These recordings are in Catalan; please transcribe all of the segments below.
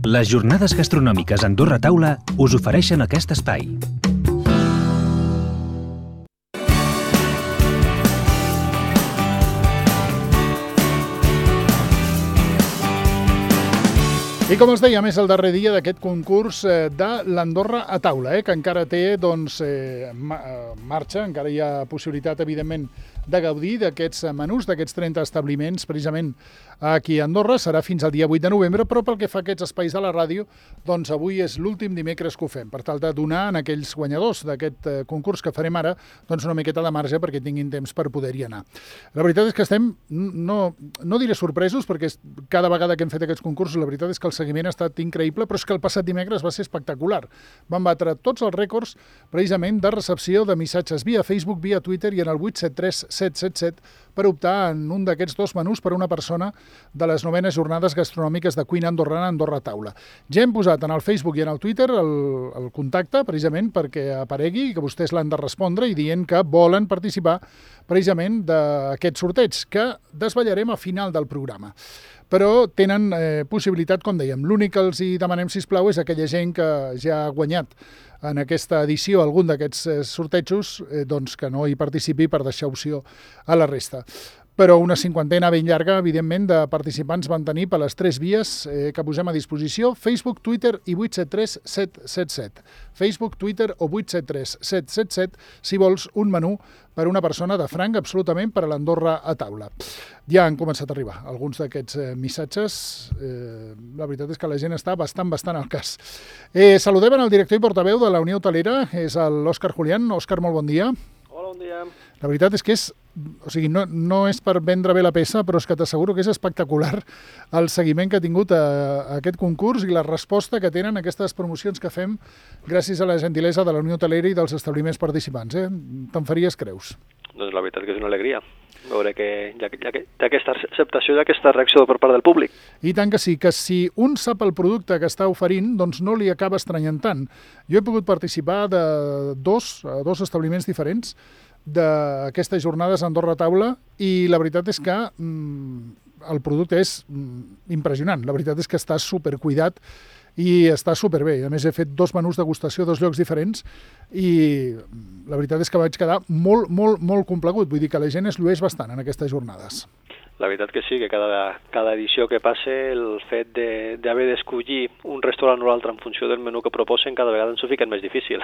Les jornades gastronòmiques Andorra Taula us ofereixen aquest espai. I com us dèiem, és el darrer dia d'aquest concurs de l'Andorra a taula, que encara té marxa, encara hi ha possibilitat, evidentment, de gaudir d'aquests menús, d'aquests 30 establiments, precisament aquí a Andorra. Serà fins al dia 8 de novembre, però pel que fa a aquests espais de la ràdio, doncs avui és l'últim dimecres que ho fem, per tal de donar a aquells guanyadors d'aquest concurs que farem ara doncs una miqueta de marge perquè tinguin temps per poder-hi anar. La veritat és que estem, no diré sorpresos, perquè cada vegada que hem fet aquests concursos, la veritat és que el seguiment ha estat increïble, però és que el passat dimecres va ser espectacular. Van batre tots els rècords, precisament, de recepció de missatges via Facebook, via Twitter i en el 873-777 per optar en un d'aquests dos menús per a una persona de les 9enes jornades gastronòmiques de cuina andorrana Andorra Taula. Ja hem posat en el Facebook i en el Twitter el contacte, precisament, perquè aparegui i que vostès l'han de respondre i dient que volen participar precisament d'aquest sorteig, que desvetllarem a final del programa. Però tenen possibilitat, com dèiem. L'únic que els hi demanem, sisplau, és aquella gent que ja ha guanyat en aquesta edició algun d'aquests sortejos, doncs que no hi participi per deixar opció a la resta. Però una cinquantena ben llarga, evidentment, de participants van tenir per les 3 vies que posem a disposició, Facebook, Twitter i 873-777. Facebook, Twitter o 873-777, si vols un menú per una persona de franc absolutament per a l'Andorra a taula. Ja han començat a arribar alguns d'aquests missatges. La veritat és que la gent està bastant al cas. Saludem el director i portaveu de la Unió Hotelera, és l'Òscar Julián. Òscar, molt bon dia. Hola, bon dia. La veritat és que no és per vendre bé la peça, però és que t'asseguro que és espectacular el seguiment que ha tingut a aquest concurs i la resposta que tenen aquestes promocions que fem gràcies a la gentilesa de la Unió Hotelera i dels establiments participants. Te'n faries creus? Doncs la veritat que és una alegria veure que hi ha aquesta acceptació i aquesta reacció per part del públic. I tant que sí, que si un sap el producte que està oferint, doncs no li acaba estranyant tant. Jo he pogut participar de dos establiments diferents d'aquestes jornades a Andorra Taula i la veritat és que el producte és impressionant. La veritat és que està supercuidat i està superbé. A més, he fet 2 menús degustació a 2 llocs diferents i la veritat és que vaig quedar molt complagut. Vull dir que la gent es llueix bastant en aquestes jornades. La veritat que sí, que cada edició que passa, el fet d'haver d'escollir un restaurant o l'altre en funció del menú que proposen, cada vegada ens ho fiquen més difícil.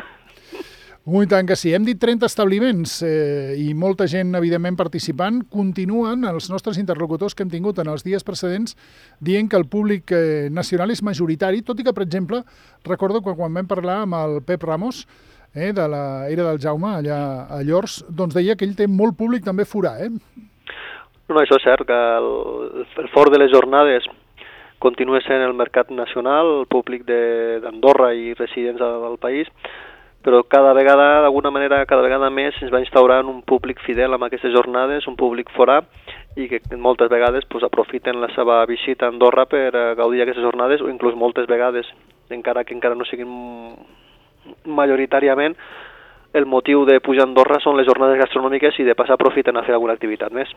I tant que sí. Hem dit 30 establiments i molta gent, evidentment, participant. Continuen els nostres interlocutors que hem tingut en els dies precedents dient que el públic nacional és majoritari, tot i que, per exemple, recordo que quan vam parlar amb el Pep Ramos, de la Era del Jaume, allà a Llors, doncs deia que ell té molt públic també forà. No, això és cert, que el fort de les jornades continua sent el mercat nacional, el públic d'Andorra i residents del país, però cada vegada, d'alguna manera, cada vegada més es va instaurant un públic fidel amb aquestes jornades, un públic forà, i que moltes vegades aprofiten la seva visita a Andorra per gaudir d'aquestes jornades, o inclús moltes vegades, encara que no siguin majoritàriament, el motiu de pujar a Andorra són les jornades gastronòmiques i de passar aprofiten a fer alguna activitat més.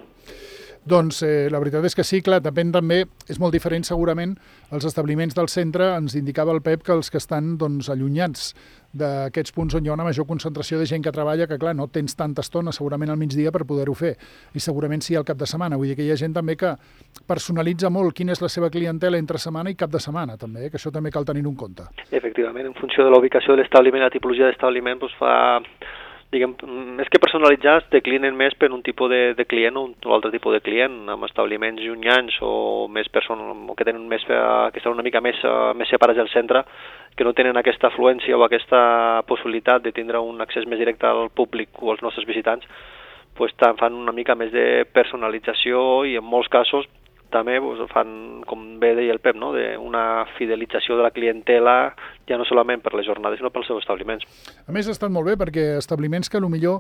Doncs la veritat és que sí, clar, depèn també, és molt diferent segurament, els establiments del centre, ens indicava el Pep que els que estan allunyats d'aquests punts on hi ha una major concentració de gent que treballa, que clar, no tens tanta estona segurament al migdia per poder-ho fer, i segurament sí al cap de setmana, vull dir que hi ha gent també que personalitza molt quina és la seva clientela entre setmana i cap de setmana també, que això també cal tenir en compte. Efectivament, en funció de la ubicació de l'establiment, la tipologia d'establiment, més que personalitzar, es declinen més per un tipus de client o un altre tipus de client, amb establiments llunyans o més que estan una mica més separats del centre, que no tenen aquesta afluència o aquesta possibilitat de tindre un accés més directe al públic o als nostres visitants, fan una mica més de personalització i en molts casos també fan, com bé deia el Pep, una fidelització de la clientela, ja no solament per les jornades, sinó pels seus establiments. A més, ha estat molt bé perquè establiments que potser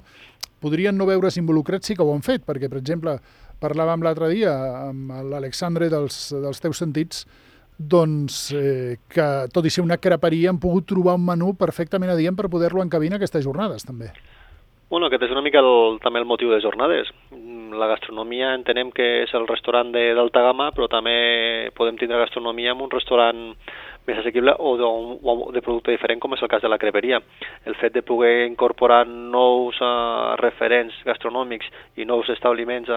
podrien no veure's involucrats sí que ho han fet, perquè, per exemple, parlàvem l'altre dia amb l'Alexandre dels Teus Sentits, doncs que, tot i ser una creperia, han pogut trobar un menú perfectament adient per poder-lo encabir en aquestes jornades, també. Bueno, aquest és una mica també el motiu de les jornades. La gastronomia entenem que és el restaurant d'alta gamma, però també podem tindre gastronomia en un restaurant més assequible o de producte diferent, com és el cas de la creperia. El fet de poder incorporar nous referents gastronòmics i nous establiments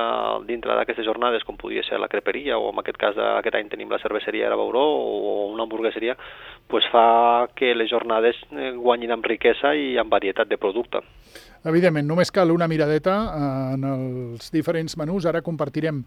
dintre d'aquestes jornades, com podia ser la creperia, o en aquest cas aquest any tenim la cerveseria Era Bauró o una hamburgueseria, pues fa que les jornades guanyin en riquesa i en varietat de producte. Evidentment, només cal una miradeta en els diferents menús. Ara compartirem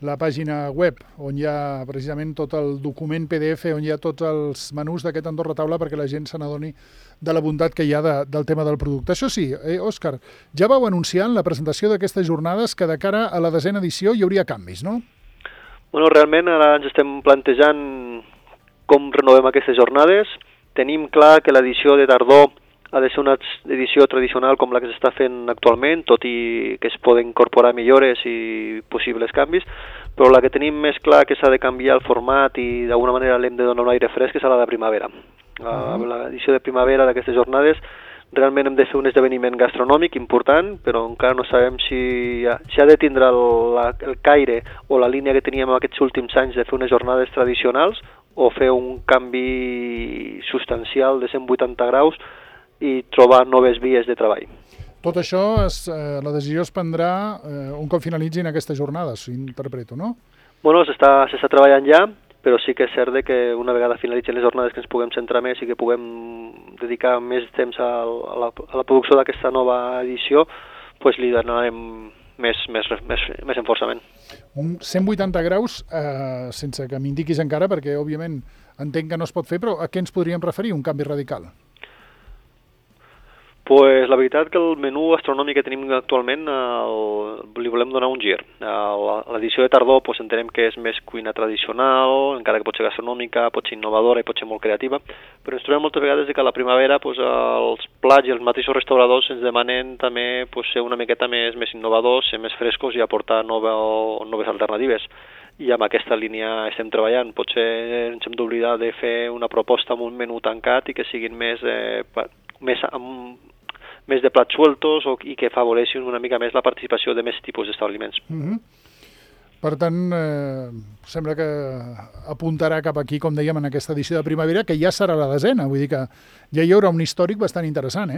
la pàgina web on hi ha precisament tot el document PDF on hi ha tots els menús d'aquest Andorra Taula perquè la gent se n'adoni de la bondat que hi ha del tema del producte. Això sí, Òscar, ja vau anunciar en la presentació d'aquestes jornades que de cara a la 10ª edició hi hauria canvis, no? Bueno, realment ara ens estem plantejant com renovem aquestes jornades. Tenim clar que l'edició de tardor ha de ser una edició tradicional com la que s'està fent actualment, tot i que es poden incorporar millores i possibles canvis, però la que tenim més clar que s'ha de canviar el format i d'alguna manera l'hem de donar un aire fresc és a la de primavera. L'edició de primavera d'aquestes jornades realment hem de fer un esdeveniment gastronòmic important, però encara no sabem si ha de tindre el caire o la línia que teníem aquests últims anys de fer unes jornades tradicionals o fer un canvi substancial de 180 graus i trobar noves vies de treball. Tot això, la decisió es prendrà un cop finalitzin aquestes jornades, si interpreto, no? Bueno, s'està treballant ja, però sí que és cert que una vegada finalitzen les jornades que ens puguem centrar més i que puguem dedicar més temps a la producció d'aquesta nova edició, doncs li donarem més enforçament. Un 180 graus, sense que m'indiquis encara, perquè òbviament entenc que no es pot fer, però a què ens podríem referir, un canvi radical? Pues la veritat que el menú gastronòmic que tenim actualment li volem donar un gir. L'edició de tardor pues, entenem que és més cuina tradicional, encara que pot ser gastronòmica, pot ser innovadora i pot ser molt creativa, però ens trobem moltes vegades que a la primavera pues, els plats i els mateixos restauradors ens demanen també pues, ser una miqueta més innovadors, ser més frescos i aportar noves alternatives. I amb aquesta línia estem treballant. Potser ens hem d'oblidar de fer una proposta amb un menú tancat i que siguin més de plats sueltos i que afavoreixin una mica més la participació de més tipus d'establiments. Per tant, sembla que apuntarà cap aquí, com dèiem, en aquesta edició de primavera, que ja serà la 10ª, vull dir que ja hi haurà un històric bastant interessant,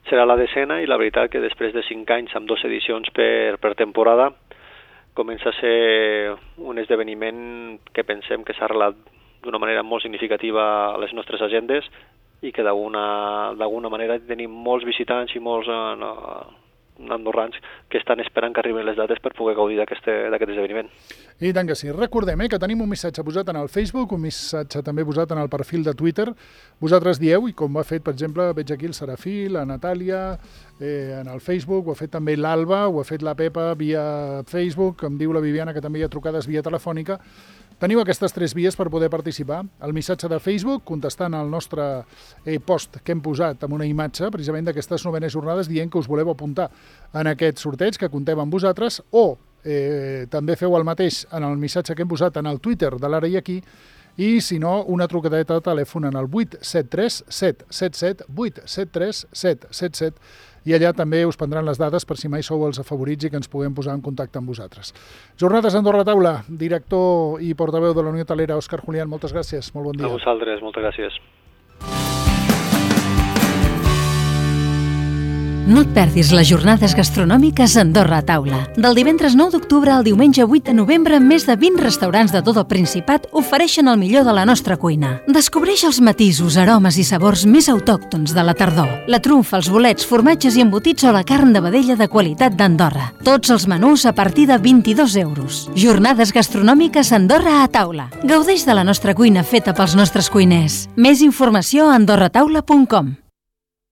Serà la 10ª i la veritat que després de 5 anys amb 2 edicions per temporada comença a ser un esdeveniment que pensem que s'ha arrelat d'una manera molt significativa a les nostres agendes i que d'alguna manera tenim molts visitants i molts andorrans que estan esperant que arribin les dates per poder gaudir d'aquest esdeveniment. I tant que sí. Recordem que tenim un missatge posat en el Facebook, un missatge també posat en el perfil de Twitter. Vosaltres dieu, i com ho ha fet, per exemple, veig aquí el Serafí, la Natàlia, en el Facebook, ho ha fet també l'Alba, ho ha fet la Pepa via Facebook, em diu la Viviana que també hi ha trucades via telefònica. Teniu aquestes 3 vies per poder participar. El missatge de Facebook, contestant al nostre post que hem posat amb una imatge, precisament d'aquestes 9enes jornades, dient que us voleu apuntar en aquest sorteig, que comptem amb vosaltres, o també feu el mateix en el missatge que hem posat en el Twitter de l'Ara i Aquí, i si no, una trucadeta de telèfon en el 873 777 873 777, i allà també us prendran les dades per si mai sou els afavorits i que ens puguem posar en contacte amb vosaltres. Jornades Andorra Taula, director i portaveu de la Unió Hotelera, Òscar Julián, moltes gràcies, molt bon dia. A vosaltres, moltes gràcies. No et perdis les jornades gastronòmiques Andorra a Taula. Del divendres 9 d'octubre al diumenge 8 de novembre, més de 20 restaurants de tot el Principat ofereixen el millor de la nostra cuina. Descobreix els matisos, aromes i sabors més autòctons de la tardor. La trumfa, els bolets, formatges i embotits o la carn de vedella de qualitat d'Andorra. Tots els menús a partir de 22 euros. Jornades gastronòmiques Andorra a Taula. Gaudeix de la nostra cuina feta pels nostres cuiners. Més informació a andorrataula.com.